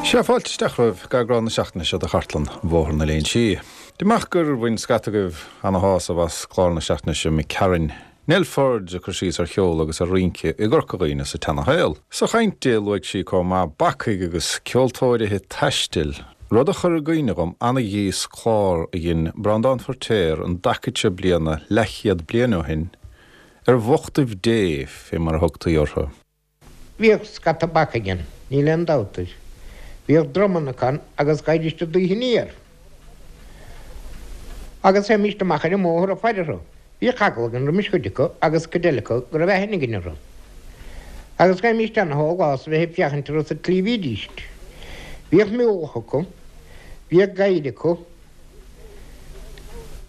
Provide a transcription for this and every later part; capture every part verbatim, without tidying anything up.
Sea, fáilte isteach romhaibh go eagrán na seachtaine seo de Chartlann Bhóthar na Léinsí. Deirim amach gur bhain scata agaibh ana-shásamh as clár na seachtaine seo imigh tharainn. Nell Forde ag cur síos ar cheol agus ar rince i gCorca Dhuibhne sa tseanashaol. Sa chaint di luaigh sí chomh maith bacaigh agus ceoltóirithe taistil. Rud a chuir i gcuimhne dhom ana-dheas clár a dhein Breandán Feirtéar an dtaca seo bliana leathchéad bliain ó shin, ar bhochtaibh Dé fé mar a thugtaí orthu. Bhíodh scata bacaigh ann, níl aon dabht air. Bhíodh dromanna acu agus ghaibhdís aduaidh aniar. Agus théimíst amach ar an mbóthar ag faire orthu. Bhíodh eagla againn roimis chuid acu agus cuid eile acu go raibh aithne againn orthu. Agus ghaibhimíst ana-shólás a bheith ag féachaint orthu sa tslí a bhídíst. Bhíodh miúlach acu, bhíodh gadhair acu,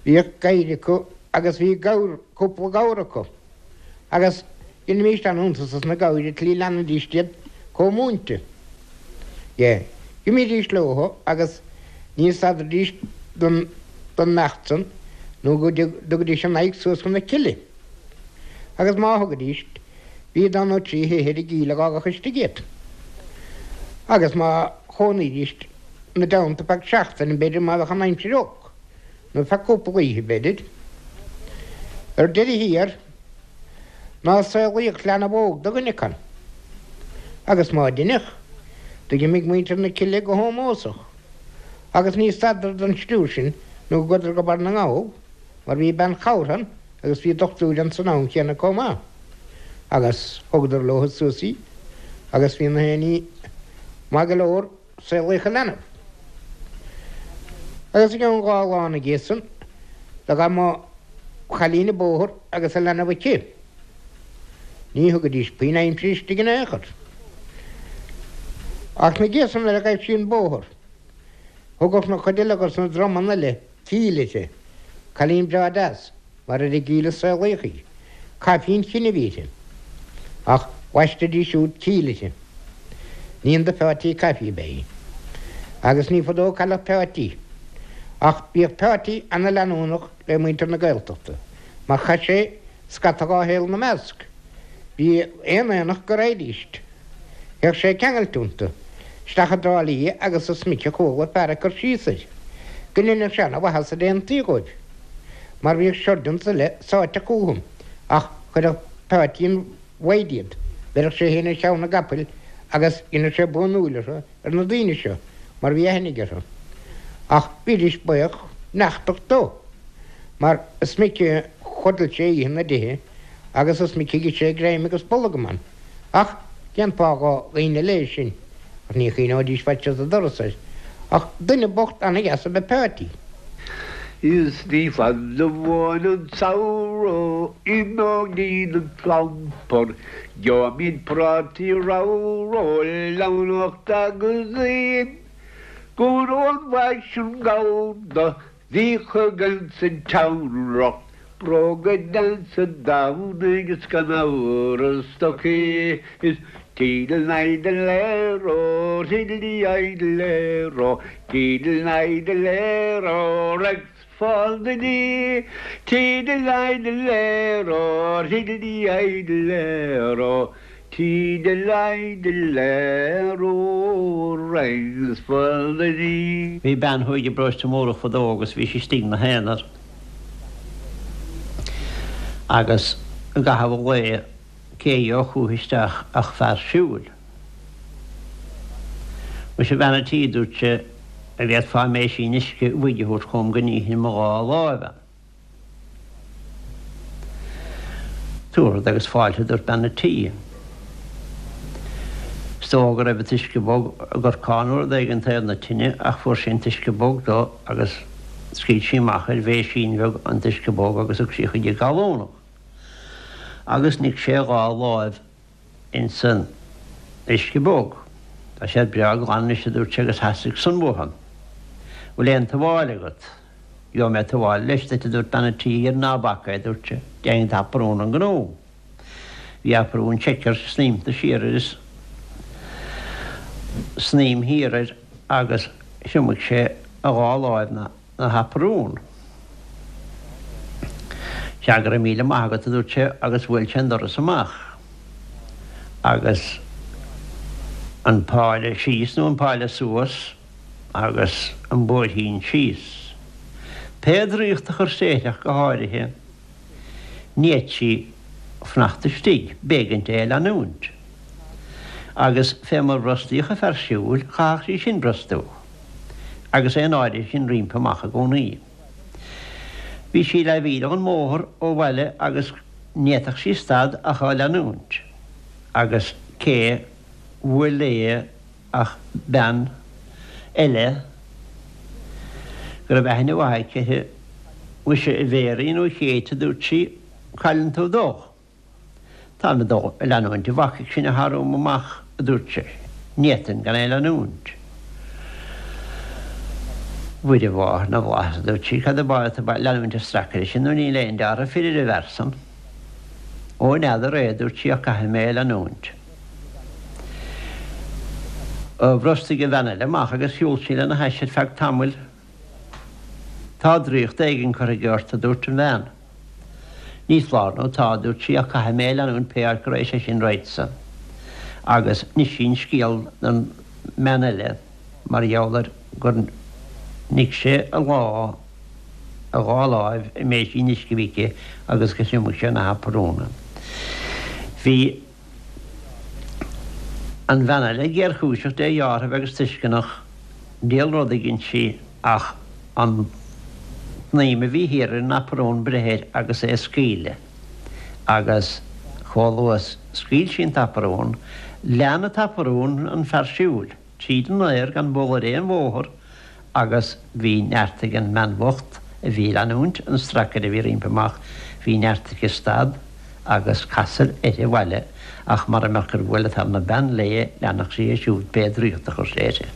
bhíodh gadhair acu agus bhí gabhar, cúpla gabhar acu. Agus dheinimíst an-iontas as na gabhair an tslí a leanaidíst iad chomh múinte. Dhe. D'imídís leothu agus ní stadaidís don don mbeacht san nó go dtugaidís a n-aghaidh suas chun na cille. Agus má thugaidís, bhí dó nó trí thithe ar an gcill a dh'fhágfadh istigh iad. Agus má chónaídís 'na dteannta feadh seachtaine, b'fhéidir, má bheadh an aimsir olc, nó feadh cúpla oíche, b'fhéidir. Ar deireadh thiar, ná saolaíodh leanbh óg do dhuine acu. Agus má deineadh, d'imigh muintir na cille go hómósach. Agus ní stadadar don sriúr sin nó go gcuadar go Barr na nGall, mar bhí bean chabhartha ann agus bhí dochtúir ann san am chéanna comh maith. Agus thugadar leo suas í agus bhí na haon ní maith go leor saolaíodh an leanbh. Agus i gceann dhá lá ina dhiaidh san, do ghabh mo chailín an bóthar agus a leanbh aici. Ní thugaidís puinn aimsire istigh in aon chor. Ach ina dhiaidh san nuair a ghaibh sí an bóthar, thugadh na cuid eile dos na dromanna eile Cíll uirthi, cailín breá deas, mar ar an gCill a saolaíodh í. Caife an Chinn a bhí uirthi. Ach bhaistidís siúd Cíll uirthi. Níon do Pheáití Caife ab ea í. Agus ní fadó a cailleadh Peáití. Ach bhíodh Peáití ana-leanúnach le muintir na Gaeltachta, mar chaith sé scata dhá shaol ina measc. Bhí aon aonach go raghaidíst. Théadh sé ceangailte iontu. Isteach i dTrá Lí agus is minic a chuala fear ag cur síos air go ndeineadh sé ana-mhaitheas ar aontaí dhóibh, mar bhíodh surgeons eile sáite chúthu, ach chuireadh Peáití an mhaide iad, bheireadh sé féin ar cheann an gcapaill agus dheineadh sé buanúil orthu ar na daoine seo, mar bhí aithne aige orthu. Ach bhídís buíoch neachtach dó, mar is minic a chodail sé oíche ina dtithe agus is minic a d'ith sé greim agus bolgam ann. Ach cén fáth dho dhaoine eile é sin? Ach ní choinneoidís faitíos an doras air. Ach duine bocht ana-dheas ab ea Peáití. Is ní fada uainn an samhradh imeoidh an clampar, Gheobhaimid prátaí ramhra, leamhnacht agus im, Go raibh an bhfaisean gallda bhíodh againn sa tseanreacht, Bróga deasa Domhnaigh is gan amhras stocaí is Tiddle-idle-ero, tiddly-idle-ero, tiddle-idle-ero, rags for the knee. Tiddle-idle-ero, tiddly-idle-ero, tiddle-idle-ero, rags for the knee. Bhí bean thuaidh i bparóiste Mórdhach fadó agus bhí sí istigh 'na haonar agus i gcaitheamh an lae cé a gheobhadh chúithi isteach ach fear siúil. Muise a bhean a' tí, dúirt sé, an bhféadfá méisín uisce bhoig a thabhairt chugam go nífinn mo dhá láimh ann. Tabharfad agus fáilte, a dúirt bean a' tí. Is dócha go raibh an t-uisce bog i gcorcán nó rud éigin taobh na tine ach fuair sí an t-uisce bog dó agus scaoil sí amach ar bhéisín bheag an t-uisce bog agus thug sí chuig an gcallúnach. Agus nigh sé a dhá láimh ins an uisce bog. Tá siad breá glan anois, a dúirt sé, agus theastaigh san uathu. Bhfuil aon tuáille agat? Gheobhaidh mé tuáille leis duit, a dúirt bean an tí, ná bac é, a dúirt sé, déanfaidh an t-aprún an gnó. Bhí aprún checker snaidhmte siar air is snaidhm thiar air agus thriomaigh sé a dhá láimh 'na haprún. Sea, go raibh míle maith agat, a dúirt sé agus bhuail sé an doras amach. Agus An páile síos nó an páile suas agus an bóithín síos. Pé draíocht a chuir sé uirthi ach go háirithe, ní fhéadfadh sí fanacht istigh, b'éigean di é a leanúint. Agus fé mar brostaíodh an fear siúil, chaithfeadh sí sin brostú, agus é an áirithe sin roimpi amach i gcónaí. Bhí sí leathmhíle ón mbóthar ó bhaile agus ní fhéadfadh sí stad ach á leanúint. Agus cé bhuail léi ach bean eile go raibh aithne mhaith aici uirthi, Mhuise, a Mhéirín nó a Chéit, a dúirt sí, cailleann tú dó. Táim ag dul a leanúint an bhacaigh sin atá romham amach, a dúirt sí. Ní fhéadfainn gan é a leanúint. Mhuire Mháthair na bhFlaitheas, a dúirt sí, cad é an fáth atá tú ag leanúint an stracaire sin nuair níl aon dealramh fir ar an bhfear san? Ó, n'fheadar é, a dúirt sí, ach caithfidh mé é a leanúint. Bhrostaigh an bhean eile amach agus shiúil sí lena hais ar feadh tamaill. Tá draíocht éigin curtha aige ort, a dúirt an bhean. Ní foláir nó tá, a dúirt sí, ach caithfidh mé é a leanúint pé áit go raghaidh sé sin raghadsa. Agus d'inis sí an scéal don mbean eile mar gheall ar gur nigh sé a lá, a dhá láimh i mbéisín uisce a bhí aici agus gur thriomaigh sé ina haparún. Bhí an bhean eile géarchúiseach dé dheárthaibh agus tuisceanach, diabhal rud a dhein sí ach an tsnaidhm a bhí thiar ar an aprún breith air agus é a scaoileadh. Agus chomh luath is scaoil sí an t-aprún, lean an t-aprún an fear siúil tríd an aer gan bualadh ar aon bhóthar agus bhí neart ag an mbean bhocht a bhí ag leanúint an stracaire a bhí roimpi amach, bhí neart aici stad agus casadh uirthi abhaile ach mara mbeadh gur bhuail an tarna bean léi, leanfadh sí é siúd pé draíocht a chuir sé uirthi.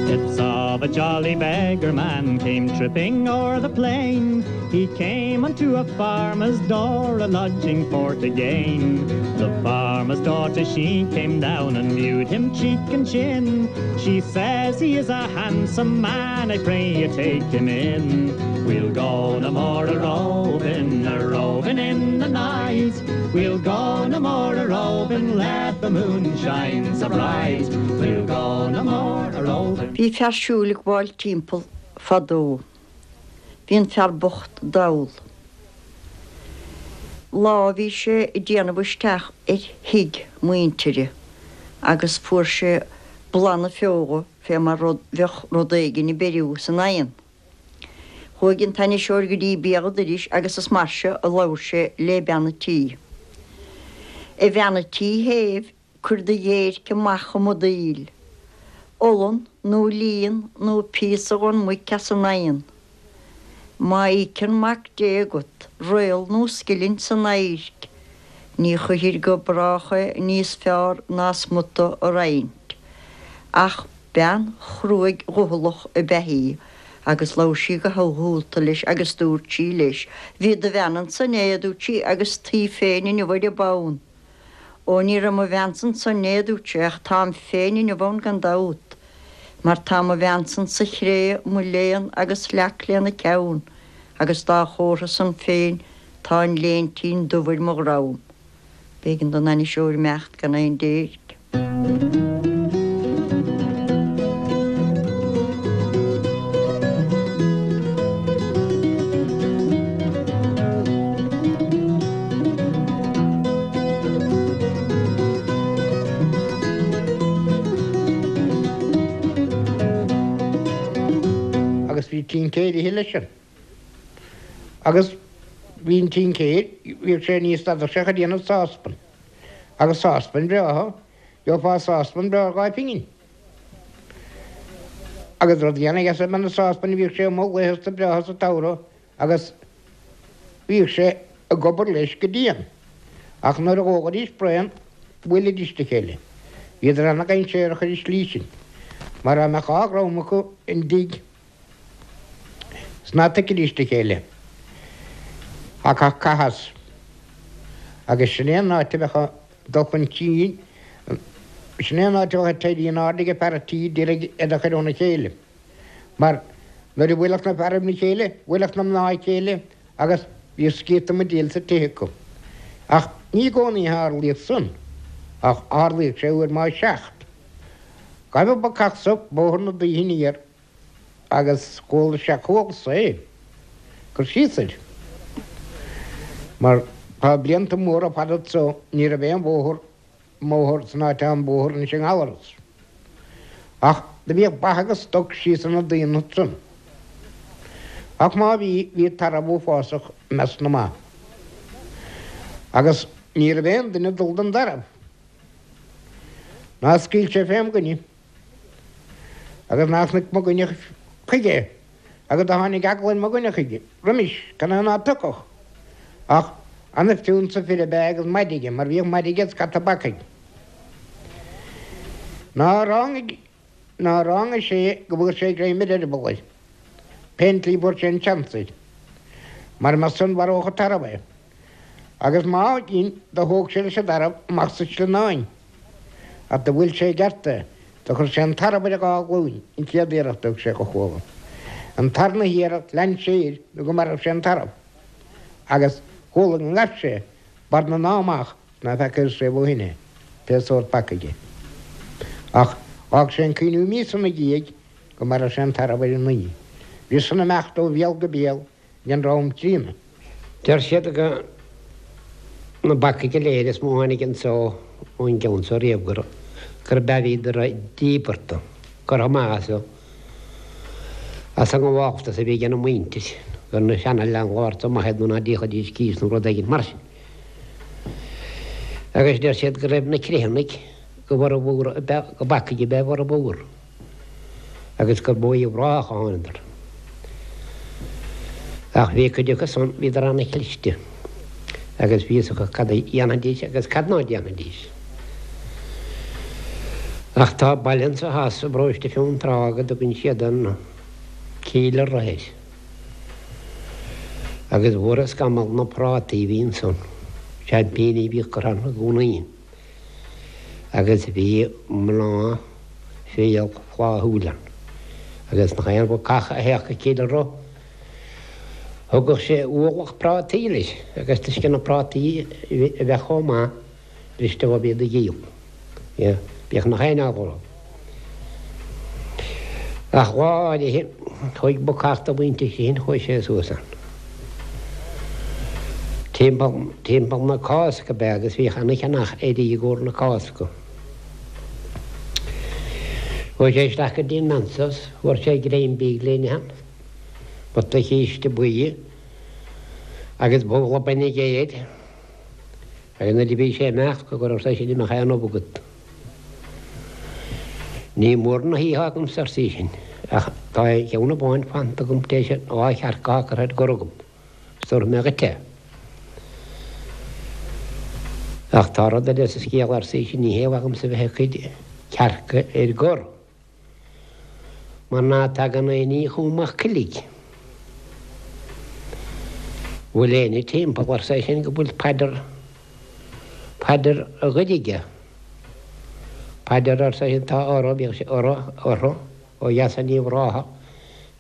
It's of a jolly beggar man came tripping o'er the plain. He came unto a farmer's door a lodging for to gain. The farmer's daughter she came down and viewed him cheek and chin. She says he is a handsome man, I pray you take him in. We'll go no more a roving, a roving in the night. We'll go no more a roving, let the moon shine so bright. We'll go no more a roving. Bhí fear siúil ag gabháil timpeall fadó. Bhí an fear bocht dall. Lá bhí sé ag déanamh isteach ar thigh muintire agus fuair sé boladh na feola fé mar rud bheadh rud éigin ag beiriú san oigheann. Chuaigh an t-ainniseoir go dtí béal an dorais agus is mar seo a labhair sé le bean an tí. A bhean an tí shéimh, cuir do dhéirc amach i mo dtaoill. Olann nó líon nó píosa dhon muic as an oigheann. Má íocann Mac Dé agat réal nó scilling san adharc, ní chuirfir go brách é níos fearr ná smuta a roinnt. Ach bean chruaidh dhoicheallach ab ea í agus labhair sí go humhalta leis agus dúirt sí leis, Bhí do bhean ansan inné, a dúirt sí, agus tú féin inniu ar a bonn. Ó ní raibh mo bheansa ansan inné, a dúirt sé, ach táim féin inniu ann gan dabht, mar tá mo bheansan sa chré, mo léan agus leac lena ceann, agus dá chomhartha san féin tá an léintín dubh ar mo dhrom. B'éigean don ainniseoir imeacht gan aon déirc. Agus bhí tincéir ithe leis sin. Agus bhí an tincéir, bhíodh sé ní stadadh sé ag déanamh sáspan. Agus sáspan breátha, gheofá sáspan breá ar dhá phingin. Agus rud ana-dheas ab ea na sáspain, bhíodh sé amuigh laethanta breátha sa tsamhradh agus bhíodh sé ag obair leis go dian. Ach nuair a dhóghaidís braon, bhuailidís le chéile. Bhíodar ana-dhainséarach ar an slí sin, mar dá mbeadh dhá dhream acu i dtigh 's ná tuigfidís a chéile. Thiocfadh cath as. Agus sin é an áit a bheadh dul chun cinn, sin é an áit a bheadh ag éirí in airde ag fear an tí d'iarraidh iad a chur óna chéile. Mar nuair a bhuailfeadh na fearaibh le chéile, bhuailfeadh na mná a chéile agus bhíodh sciath na buidéal sa tigh acu. Ach ní i gcónaí a tharlaíodh san, ach tharlaíodh sé uair má seacht. Ghabh an bacach so bóthar na Daoithe aniar agus chuala sé chualsa é cur síos air. Mar tá blianta móra fada so ní raibh aon bhóthar mbóthar san áit an bóthar anois i nGallaras. Ach do bhíodh ba agus stoc síos ar na daoine san. Ach má bhí, bhí tarbh uafásach i measc na mba. Agus ní raibh aon duine ag dul don tarbh. Ná scaoil sé fém dhuine. Agus ná chonaic mo dhuine chuige. Agus do tháinig eagla ar mo dhuine chuige roimis, can é ná tiocfadh. Ach ana-phiúnsa fir ab ea agus maide aige, mar bhíodh maide aige scata bacaigh. Ná ráinig, ná ráinig sé go bhfuair sé greim ar eireaball air. Pén tslí bhfuair sé an seans air. Mar más san mharódh an tarbh é. Agus má dhein, do thóg sé leis an dtarbh amach sa sleamhnán. Ach do bhuail sé i gceart é. Do chuir sé an tarbh ar a dhá ghlúin, an chéad iarracht a thug sé dho chuala. An tarna hiarracht lean sé air nó go marbh sé an tarbh. Agus chuala go ngabh sé barr na ná amach ná feacair riamh ó shin é, pé sórt bacaigh é. Ach d'fhág sé an cuimhniú míosa ina dhiaidh go marbh sé an tarbh ar an. Bhí san imeacht ó bhéal go béal den dream críonna. Deir siad go na bacaigh go léir is mó a tháinig anso ón gceann so riamh gur gurb ea bhíodar díbeartha, curtha amach as as an ngabháltas a bhí ag an muintir, gur na seana-landlords amach iad nó ná d'íocfaidís cíos nó rud éigin mar sin. Agus deir siad go raibh na Criomhthannaigh go bhformhór go bacaigh ab ea a bhformhór agus gur ó Uíbh Ráthach a thánadar. Ach bhí cuid acu san, bhíodar an-chliste agus bhí fhios acu cad a dhéanfaidís agus cad ná déanfaidís. Ach tá baile anso theas i bparóiste Fionntrá go dtugann siad an Cill Roth air. Agus mhór an scamall na prátaí a bhí ansan, seaimpíní a bhíodh curtha ann i gcónaí. Agus bhí mná fial flaithiúil ann. Agus nach aon bhacach a théadh go Cill Roth, thugadh sé ualach prátaí leis agus toisc na prátaí a bheith chomh maith briste dhóibh iad a dhíol. Bhíodh nach aon eagla orthu. Ach lá áirithe chuaigh bacach de mhuintir Chriomhthain, chuaigh sé suas ann. Timpeall, timpeall na Cásca ab ea agus bhíodh ana-cheannach earraí i gcomhair na Cásca. Chuaigh sé isteach go dtí an mbean so, fuair sé greim bídh le n-ithe ann, pota císte buí agus babhla bainne géir. Agus nuair a bhí sé ag imeacht, go raibh sé sin imeacht aon ubh agat. Ní mór na hoíche agamsa, arsa í sin, ach tá ceann amháin fanta agam tar éis dhá chearc atá curtha ar gor agam, is tabharfaidh mé dhuit é. Ach tá rud eile sa scéal, arsa í sin, ní hé agamsa bheith ag cur cearca ar gor, mar ná tagann aon ní chugam ach coiligh. Bhfuil éinne timpeall, arsa é sin, go bhfuil paidir, paidir a ghoir aige? Paidir, arsa é sin, tá orthu, bhíodh sé orthu, orthu, ó dheas in Uíbh Ráthach,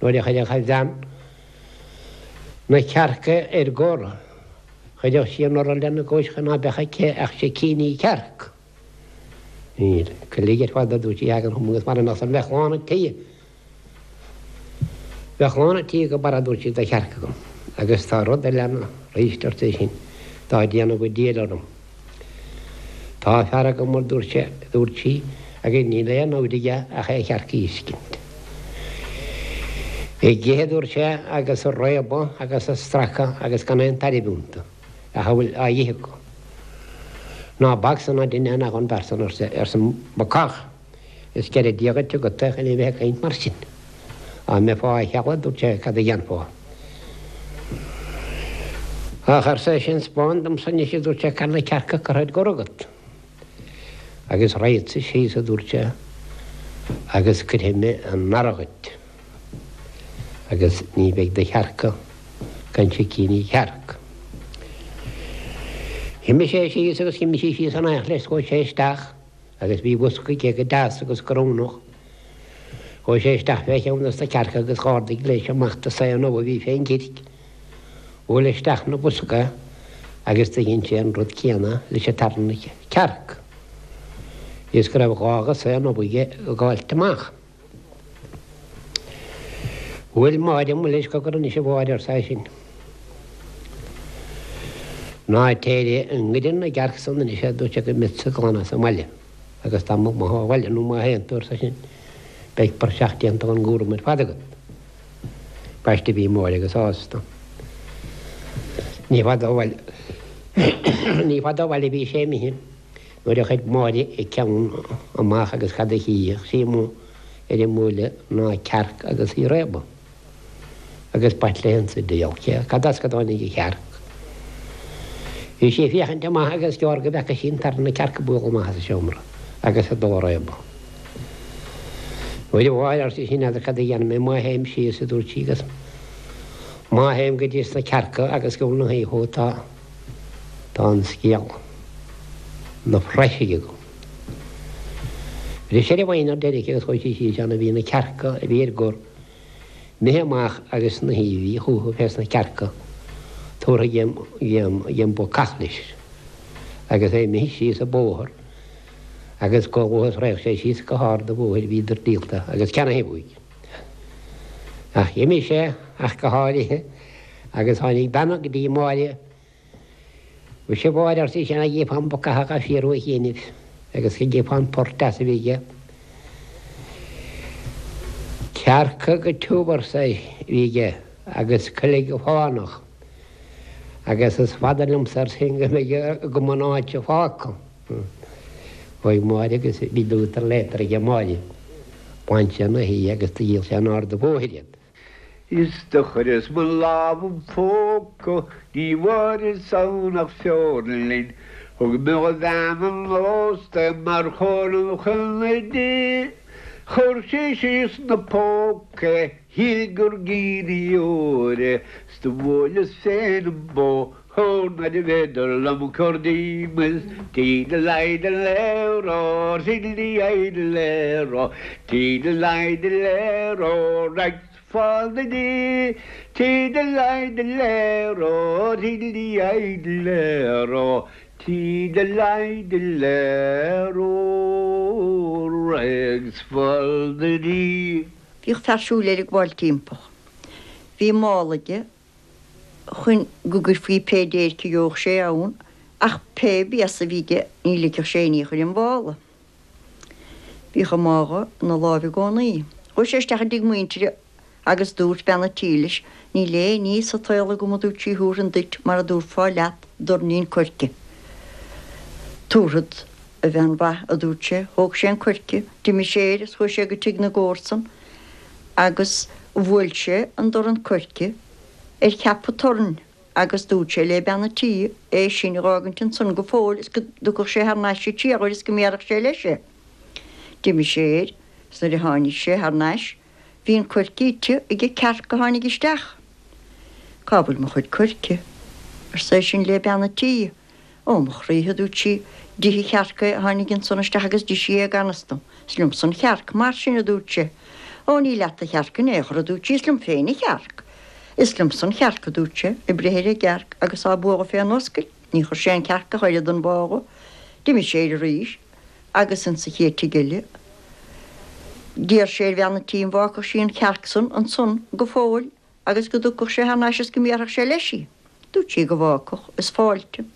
nuair a chuirfeadh a bhean na cearca ar gor, chuirfeadh sí an orla lena gcois chun ná beadh aici ach sicíní cearc. Níl, coiligh ar fad a dúirt sí, thagann chugam agus mara mbeadh san bheadh lán an tí. Bheadh lán an tí go barra, a dúirt sí, de chearca agam. Agus tá rud eile ann arís, arsa é sin, atá ag déanamh go diail orm. Tá fear agam, a dúirt sé, a dúirt sí, agus níl aon obair aige ach é chearca a fheiscint. Ag ithe, a dúirt sé, agus ag réabadh agus ag stracadh agus gan aon tairbhe iontu ach a bhfuil á ithe acu. Ná bac san ná duine nach an bhfear san, arsa, arsa an bacach. Is ceithre Dia dhuit agat é chun é bheith ag caint mar sin. Dá mbeifeá a cheal, a dúirt sé, cad a dhéanfá? Ach, arsa é sin, 'spáin domsa anois, a dúirt sé, cá bhfuil na cearca curtha ar gor agat. Agus raghadsa síos, a dúirt sé, agus cuirfidh mé an earra dhuit, agus ní bheidh do chearca gan sicíní cearc. D'imigh sé síos agus d'imigh sí síos in éineacht leis, chuaigh sé isteach agus bhí bosca aige go deas agus go rúnach. Chuaigh sé isteach fé cheann dos na cearca agus dh'ardaigh leis amach dos aon ubh a bhí fén gcirc. Bhuail isteach 'na bosca agus do dhein sé an rud céanna leis an tarna cearc. Is go raibh dhá ghasán aige ag gabháilt amach. Bhuail Máire mo leis cogar anois a Mháire arsa eisean. Ná téir i ngoire na gcearc san anois a dúirt sé go mbeadsa glan as an mbaile agus dá mba maith ó bhaile nó má théann tú arsa eisean beidh praiseach déanta den gcúram ar fad agat. B'aisteach bhí Máire go sásta. Ní fada ó bhaile ní fada ó bhaile a bhí sé imithe nuair a chuir Máire a ceann amach agus cad a chífeadh sí amuigh ar an mbuaile ná cearc agus í ag réabadh. Agus b'ait léi an diabhal cad as go dtáinig an chearc. Bhí sí ag féachaint amach agus gearr go bhfeaca sí an tarna cearc ag bualadh amach as an seomra agus ag dul ag réabadh. Bhuel a Mháire, arsa sí, n'fheadar cad a dhéanfaidh mé má théim síos, a dúirt sí, agus má théim go dtí sna cearca agus go bhfuil na hoíche tá tá an scéal na praiseach agam. Bhris ar an bhfoighne ar deireadh agus chuaigh sí síos ann a bhí na cearca a bhí ar gor imithe amach agus na haoibhí chucu fés na cearca tabhartha ag an bacach leis agus é imithe síos an bóthar agus go luath is raghadh sé síos go hard an bhóthair bhíodar díolta agus ceannaithe uaidh. Ach d'imigh sé ach go háirithe agus tháinig bean go dtí Máire Mhuise a Mháire arsa ise an gcífeá an bacach á fiarú a chianaibh agus go gcífeá an port deas a bhí aige. Cearca go tiubh arsa a bhí aige agus coileag go fánach agus is fada liomsa arsa sin go mbeidh agam an áit seo fágtha. Chuaigh Máire agus bhí lútar léatar aige Máire. Bhain sé ina shuí agus do dhíol sé in ard an bhóthair iad. Is do chuireas mo lámh im phóca ní bhfuaireas ann ach feoirlinn. Thug mé do bhean an ósta mar chomhairle chun di. Chuir sí síos 'na póca é, shíl gur giní óir é, 's do bhuaileas féin an bóthar nuair a bhféidir liom cur díom is tídle-leidle-ró, tídle-leidle-ró, tídle-leidle-ró, rags fall the dee, tídle-leidle-ró, tídle-leidle-ró, tídle-leidle-ró, rags fall the dee. Bhíodh fear siúil air ag gabháil timpeall. Bhí mála aige chun go gcuirfí pé déirc a gheobhadh sé ann, ach pé béasa a bhí aige ní ligfeadh sé aon ní chuir an mhála. Bhíodh an mála ina láimh i gcónaí. Chuaigh sé isteach i dtigh muintire agus dúirt bean an tí leis, Níl aon ní sa tsaol agam a dúirt sí thabharfainn duit mar a dtabharfá leat doirnín coirce. Tabharfad, a bhean mhaith, a dúirt sé. Thóg sé an coirce, d'imigh sé air is chuaigh sé go tigh na gcomharsan agus bhuail sé an dorn coirce ar cheap an toirn agus dúirt sé le bean an tí é sin a dh'fhágaint ansan go fóill is go dtiocfadh sé thar n-ais sa triathuair is go mbéarfadh sé leis é. D'imigh sé air is nuair a tháinig sé thar n-ais bhí an coirce ite ag an cearc a tháinig isteach. Cá bhfuil mo chuid coirce? arsa eisean le bean an tí. Ó mo chroí, a dúirt sí, d'ith an chearc é a tháinig ansan isteach agus d'ith sí é gan fhios dom. Is liomsa an chearc mar sin, a dúirt sé. Ó ní leat an chearc in aon chor, a dúirt sí, is liom féin an chearc. Is liomsa an chearc, a dúirt sé, ag breith ar an gcearc agus á bualadh fén oscail. Ní chuir sé an chearc ach oiread den mhála. D'imigh sé air arís agus insa chéad tigh eile d'iarr sé ar bhean an tí an bhfágfadh sí an chearc san ansan go fóill agus go dtiocfadh sé thar n-ais is go mbéarfadh sé leis í. Dúirt sí go bhfágfadh, is fáilte.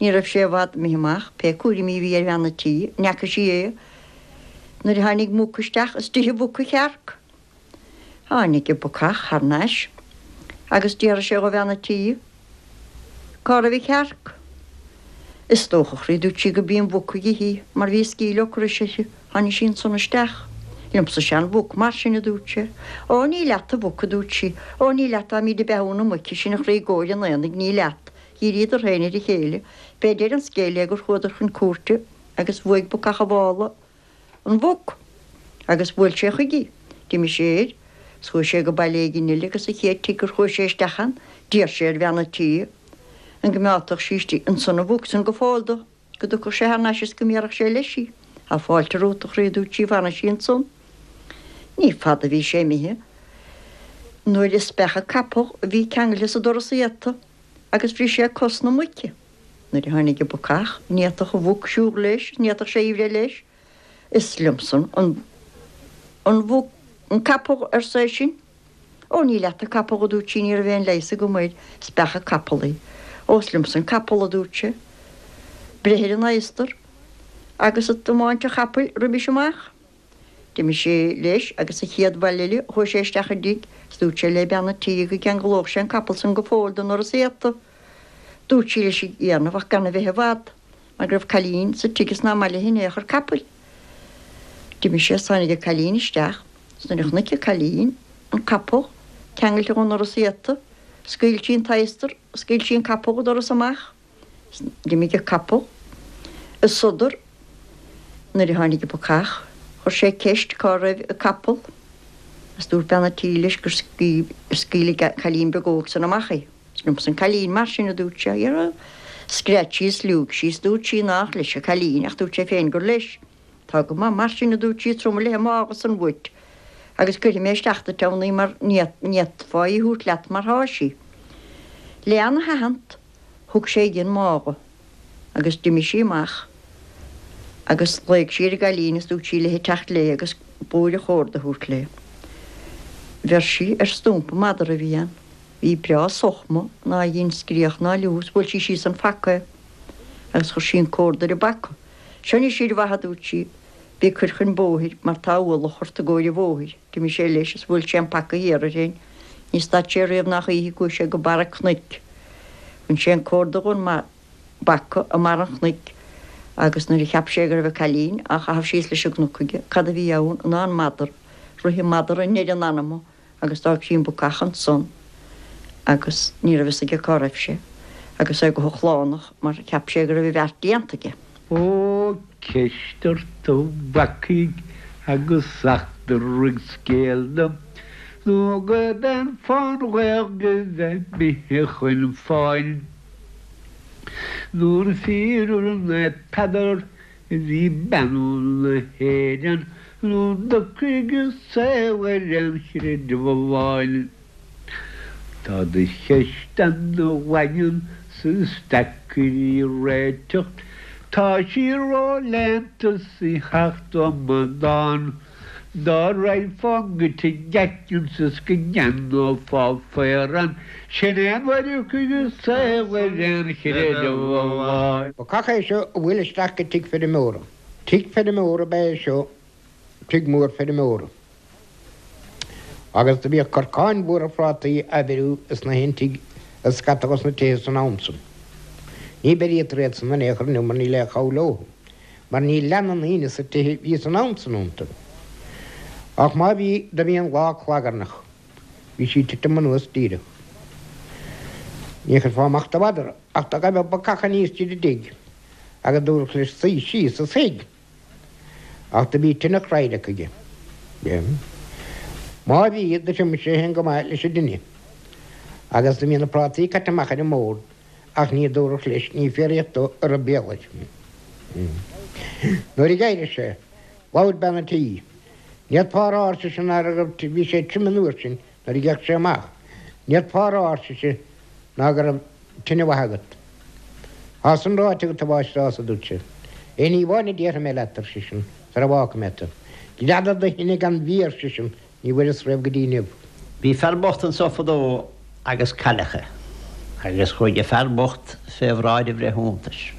Ní raibh sé i bhfad imithe amach, pé cúraimí a bhí ar bhean an tí, an bhfaca sí é nuair a tháinig muc isteach is d'ith an mhuc an chearc. Tháinig an bacach thar n-ais agus d'fhiafraigh sé dho bhean an tí cá raibh an chearc. Is dócha, a chroí, dúirt sí, go b'í an mhuc a d'ith í, mar bhí sceall ocrais uirthi. Tháinig sí ansan isteach. Liomsa is ea an mhuc, mar sin, a dúirt sé. Ó, ní leat an mhuc, a dúirt sí. Ó, ní leat, táimid ag beathú na muice sin, a chroí, i gcomhair an aonaigh, ní leat. Dhíríodar féin ar a chéile. B'é deireadh an scéil é gur chuadar chun cúirte agus bhuaigh bacach an mhála an mhuc agus bhuail sé chuige í. D'imigh sé air is chuaigh sé go baile éigin eile agus an chéad tigh gur chuaigh sé isteach ann d'iarr sé ar bhean an tí an gcoimeádfadh sí istigh ansan an mhuc san go fóill dó, go dtiocfadh sé thar n-ais is go mbéarfadh sé leis í. Tá fáilte romhat, a chroí, a dúirt sí, fanadh sí ansan. Ní fada a bhí sé imithe nuair a speach an capall a bhí ceangailte sa doras iata agus bhris sé cos na muice. Nuair a tháinig an bacach, ní fhéadfadh an mhuc siúl leis, ní fhéadfadh sé í bhreith leis. Is liomsa an an mhuc, an capall, arsa eisean. Ó, ní leat an capall, a dúirt sí, ní raibh aon leigheas agam air, is beacha capall í. Ó, is liomsa an capall, a dúirt sé. Breith ar an adhastar agus ag tiomáint an chapaill roimis amach. D'imigh sé leis agus sa chéad bhaile eile chuaigh sé isteach i dtigh is dúirt sé le bean an tí go gceanglódh sé an capall san go fóill don ndorus iata. Dúirt sí leis a dhéanamh ach gan a bheith i bhfad mar go raibh cailín sa tigh is ná maith léi in aon chor capaill. D'imigh sé is tháinig an cailín isteach is nuair a chonaic an cailín an capall ceangailte dhon ndoras iata, scaoil sí an t-adhastar, scaoil sí an capall dhon doras amach. D'imigh an capall i sodar nuair a tháinig an bacach. Chuir sé ceist cá raibh an capall agus dúirt bean an tí leis gur scaoil an cailín beag óg san amach é. Is liomsa an cailín mar sin, a dúirt sé. Dhera, scread sí is liúigh sí is dúirt sí nách leis an cailín ach dúirt sé féin gur leis. Tá go maith mar sin, a dúirt sí, tabharfaidh mé leis an mála san uait agus cuirfidh mé isteach duit ann í mar ní fhéadfá í a thabhairt leat mar thá sí. Lena thathant thug sé di an mála agus d'imigh sí amach agus ghlaoigh sí ar an gcailín is dúirt sí léi teacht léi agus blúire chórda a thabhairt léi. Bheir sí ar stumpa madra a bhí ann. Bhí breá sochma ná dhein scréach ná liú is bhuail sí síos an phaca é agus chuir sí an córda ar an bpaca. Seo anois a fhir mhaith, a dúirt sí, bí ag cur chun bóthair mar tá ualach ort i gcomhair an bhóthair. D'imigh sé leis is bhuail sé an paca thiar air féin. Ní stad sé riamh ná choíche go gcuaigh sé go barra cnoic. Bhain sé an córda dhon bpaca i mbarr an chnoic agus nuair a cheap sé go raibh an cailín á chaitheamh síos leis an gcnoc aige, cad a bhí ann ná an madra. Rith an madra i ndeireadh an anama agus d'fhág sí an bacach ansan agus ní raibh fhios aige cá raibh sé agus é go hochlánach mar cheap sé go raibh a bheart déanta aige. Ó, ceist ort a bhacaigh agus eachtraigh scéal dom, nó gurb é an fán Ghaeilge bheith imithe chun fáin. Nuair a fíoradh Naomh Peadar a bhí beannú na hÉireann nó d'ocraigh a saol ar aon chreideamh amháin. Tá do cheist ana-dhaingean 's is deacair í réiteach, tá sí ró-léannta 's í theacht ó amadán. Dá raghfá go tigh Atkins is go gceannófá faorán, sin é an uair a thiocfaidh an saol ar aon chreideamh amháin. Bacach é seo a bhuail isteach go tigh feirmeora. Tigh feirmeora ab ea é seo, tigh mór feirmeora. Agus do bhíodh corcáin mhóra phrátaí á bheiriú ins na haon tigh i scata dos na tithe san am san. Ní beirítear iad san in aon chor inniu mar níl aon chabhair leo, mar ní leanann aoinne sa tithe bhí san am san iontu. Ach má bhí, do bhí an lá clagarnach. Bhí sí titim anuas díreach. Ní chuirfeá amach do mhadra, ach do ghaibh bacach aníos tríd an dtigh agus dúradh leis suí síos is shuigh. Ach do bhí tine chraoidheach aige. Má bhí, do thriomaigh sé féin go maith leis an dtine. Agus do bhí na prátaí caite amach ar an mbord, ach ní dúradh leis, ní fiafraíodh dó an raibh béal air. Nuair a d'éirigh sé, labhair bean an tí. Ní fhéadfá a rá, ar sise, ná raibh, bhí sé tirim an uair sin nuair a d'fhéach sé amach, ní fhéadfá a rá, ar sise, ná go raibh tine mhaith agat. Tá san ráite agat, a mháistreás, a dúirt sé. Aon ní amháin a déarfaidh mé leat, ar seisean, sara bhfágfaidh mé tu. Greadadh do thine gan bhia, ar seisean, ní bhfuaireas riamh go dtí inniu. Bhí fear bocht anso fadó agus cailleach agus chuaigh an fear bocht fé bhráid an bhreithiúntais.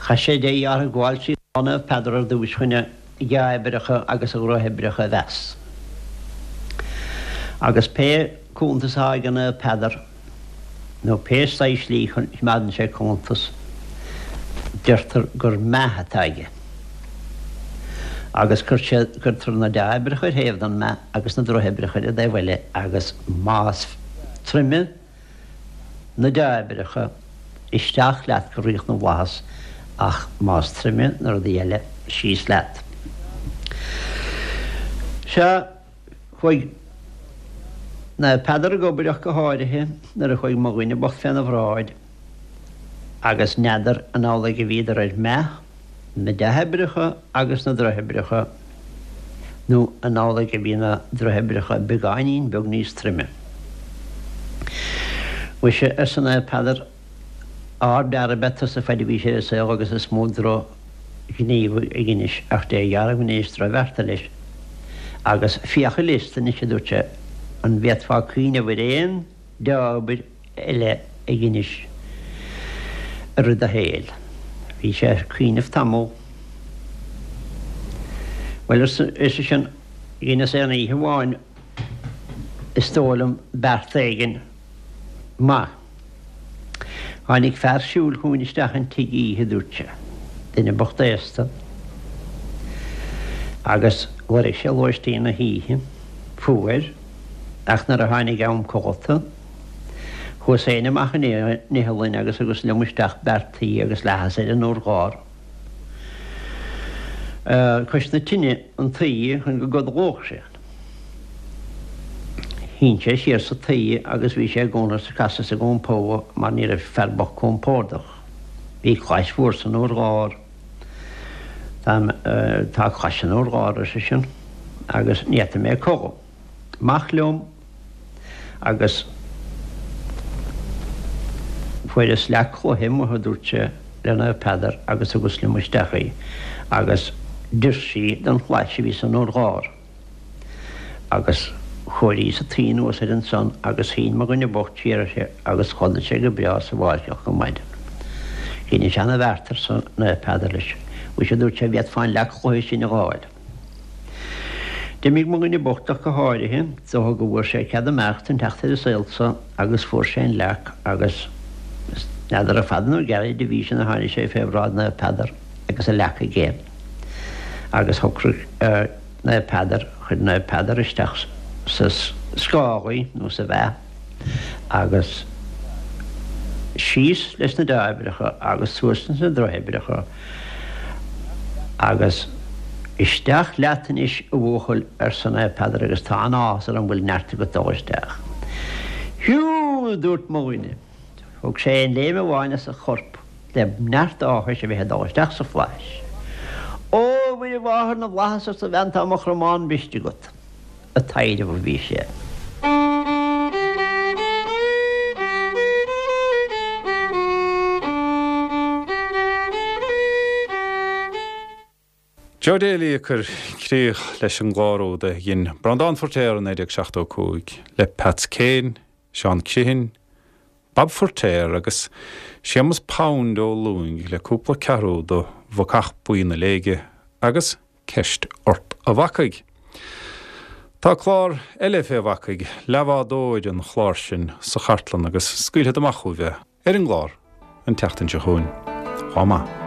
Chaith sé de dhíth orthu gabháil trí Lá Naomh Peadar ar dtúis chun a dhea-oibreacha agus a dhroichoibreacha a mheas. Agus pé cuntas atá ag Naomh Peadar, nó pé saghas slí a choimeádann sé cuntas, deirtear gur meath atá aige. Agus cuirtear na dea-oibreacha ar thaobh den meath agus na droichoibreacha ar an dtaobh eile agus más troime na dea-oibreacha, isteach leat go Ríocht na bhFlaitheas ach más troime na rudaí eile, síos leat. Sea, chuaigh Naomh Peadar ag obair ach go háirithe nuair a chuaigh mo dhuine bocht féna bhráid agus n'fheadar an amhlaidh a bhíodar ar meath, na dea-oibreacha agus na droichoibreacha, nó an amhlaidh a bhí na droichoibreacha beagáinín beag níos troime. Mhuise, arsa Naomh Peadar, Ardfhear ab ea tusa faid a bhís ar an saol agus is mó drochghníomh a dheinis ach Dé dhearmhainis drochbhearta leis. Agus féach ar liosta anois, a dúirt sé, an bhféadfá cuimhneamh ar aon dea-obair eile a dheinis i rith do shaoil. Bhí sé ag cuimhneamh tamall. Bhuel, arsa seisean, dheineas aon oíche amháin, is dóigh liom, beart éigin maith. Tháinig fear siúil chugainn isteach an tigh oíche, a dúirt sé, duine bocht aosta, agus lorg sé lóistín na hoíche, fuair, ach nuair a tháinig am codlata, chuas féin amach an iothlainn agus thugas liom isteach beart tuí agus leathas ar an urlár cois na tine an tuí chun go gcodlódh sé. Shín sé siar sa tuí agus bhí sé i gcónaí ag casadh is ag iompó mar ní raibh fear bocht compordach. Bhí clais mhór san urlár. Tá, tá clais san urlár, ar seisean, agus ní fhéadfaidh mé codladh. Amach liom agus fuaireas leac chloiche amuigh, a dúirt sé le Naomh Peadar, agus thugas liom isteach í agus d'oir sí don chlais a bhí san urlár. Agus chóiríos an tuí anuas air ansan agus shín mo dhuine bocht siar uirthi agus chodail sé go breá sa bhfáirceach go maidin. Dheinis ana-bheart, arsa Naomh Peadar leis. Mhuise, a dúirt sé, bhféadfá an leac chloiche sin a dh'fháil. D'imigh mo dhuine bocht ach go háirithe, is dócha go bhfuair sé cead imeachta an teacht ar an saol so agus fuair sé an leac agus n'fheadar an fada nó gairid a bhí sin a tháinig sé fé bhráid Naomh Peadar agus an leac aige agus shocraigh Naomh Peadar, chuir Naomh Peadar isteach sa scáth í, nó sa mheath, agus síos leis na dea-oibreacha agus suas leis na drochoibreacha, agus isteach leat anois, a bhuachaill, arsa Naomh Peadar, agus tá an-áthas orm go bhfuil neart agat dul isteach. Hiú! a dúirt mo dhuine. Thug sé aon léim amháin as a chorp le neart áthais a bheith ag dul isteach sa phlais. Ó, a Mhuire Mháthair na bhFlaitheas, arsa a bhean, tá mo chromán briste agat. Ag taidhreamh a bhí sé. Joe Daly ag cur críoch leis an gclár úd a dhein Breandán Feirtéar i naoi déag seachtó a cúig le Peats Kane, Seán Criomhthain, Bob Feirtéar agus Séamus Pound Ó Lúing le cúpla ceathrú de Bhacach Buí na Léige agus Ceist Ort a Bhacaigh. Tá clár eile fé bhacaigh, Leathbhádóir an chláir sin, sa chartlann agus scaoilfead amach chugaibh é ar an gclár an tseachtain seo chugainn. Chomh maith.